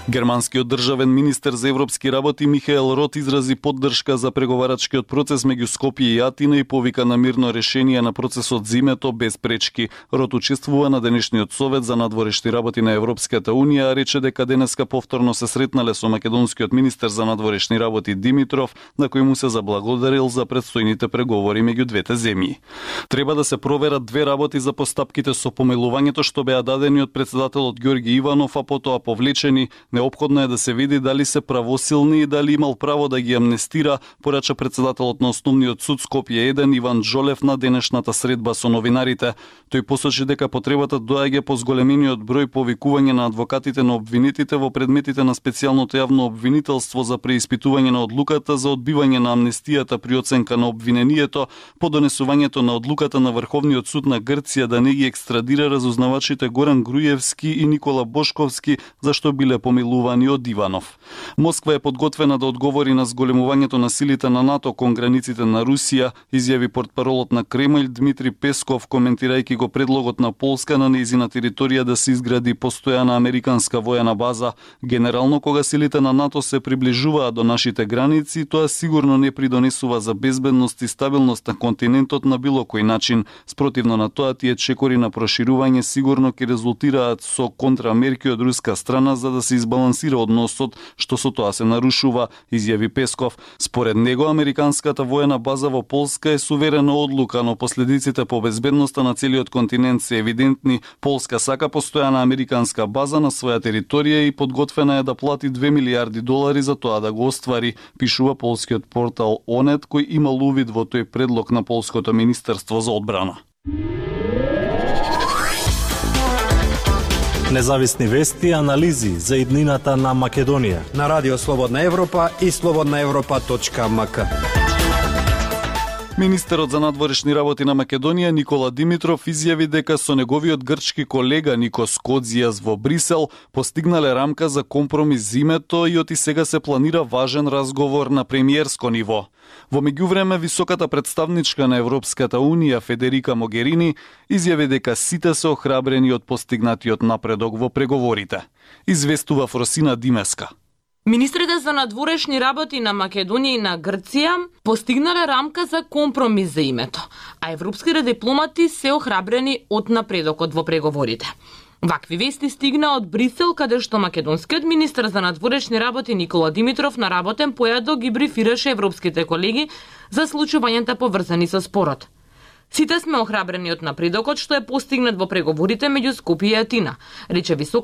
Германскиот државен министер за европски работи Михаел Рот изрази поддршка за преговарачкиот процес меѓу Скопје и Атина и повика на мирно решение на процесот зимето без пречки. Рот учествува на денешниот совет за надворешни работи на Европската унија, а рече дека денеска повторно се сретнале со македонскиот министер за надворешни работи Димитров, на кој му се заблагодарил за предстојните преговори меѓу двете земји. Треба да се проверат две работи за постапките со помилувањето што беа дадени од председателот Ѓорги Иванов, а потоа повлечени. Неопходно е да се види дали се правосилни и дали имал право да ги амнестира, порача председателот на Основниот суд Скопје 1 Иван Джолев на денешната средба со новинарите. Тој посочи дека потребата доаѓа по зголемениот број повикување на адвокатите на обвинетите во предметите на специјалното јавно обвинителство за преиспитување на одлуката за одбивање на амнестијата при оценка на обвинението, по донесувањето на одлуката на Врховниот суд на Грција да не ги екстрадира разузнавачите Горан Груевски и Никола Бошковски, зашто биле помилувани од Иванов. Москва е подготвена да одговори на зголемувањето на силите на НАТО кон границите на Русија, изјави портпаролот на Кремљ Дмитри Песков, коментирајќи го предлогот на Полска на нејзина територија да се изгради постојана американска војна база. Генерално, кога силите на НАТО се приближуваат до нашите граници, тоа сигурно не придонесува за безбедност и стабилност на континентот на било кој начин. Спротивно на тоа, тие чекори на проширување сигурно ќе резултираат со контрамерки од руска страна за да се избалансира односот, што со тоа се нарушува, изјави Песков. Според него, американската воена база во Полска е суверена одлука, но последиците по безбедноста на целиот континент се евидентни. Полска сака постојана американска база на своја територија и подготвена е да плати $2 милиарди за тоа да го оствари, пишува полскиот портал Онет, кој имал увид во тој предлог на полското министерство за одбрана. Независни вести и анализи за иднината на Македонија на Радио Слободна Европа и slobodnaevropa.mk. Министерот за надворешни работи на Македонија Никола Димитров изјави дека со неговиот грчки колега Никос Кодзијас во Брисел постигнале рамка за компромис зимето и оти сега се планира важен разговор на премиерско ниво. Во меѓувреме, високата представничка на Европската унија Федерика Могерини изјави дека сите се охрабрени од постигнатиот напредок во преговорите. Известува Фросина Димеска. Министрите за надворешни работи на Македонија и на Грција постигнале рамка за компромис за името, а европските дипломати се охрабрени од напредокот во преговорите. Вакви вести стигна од Брисел, каде што македонскиот министер за надворешни работи Никола Димитров на работен појадок ги брифираше европските колеги за случувањата поврзани со спорот. Сите сме охрабрени од напредокот што е постигнат во преговорите меѓу Скопје и Атина, рече висока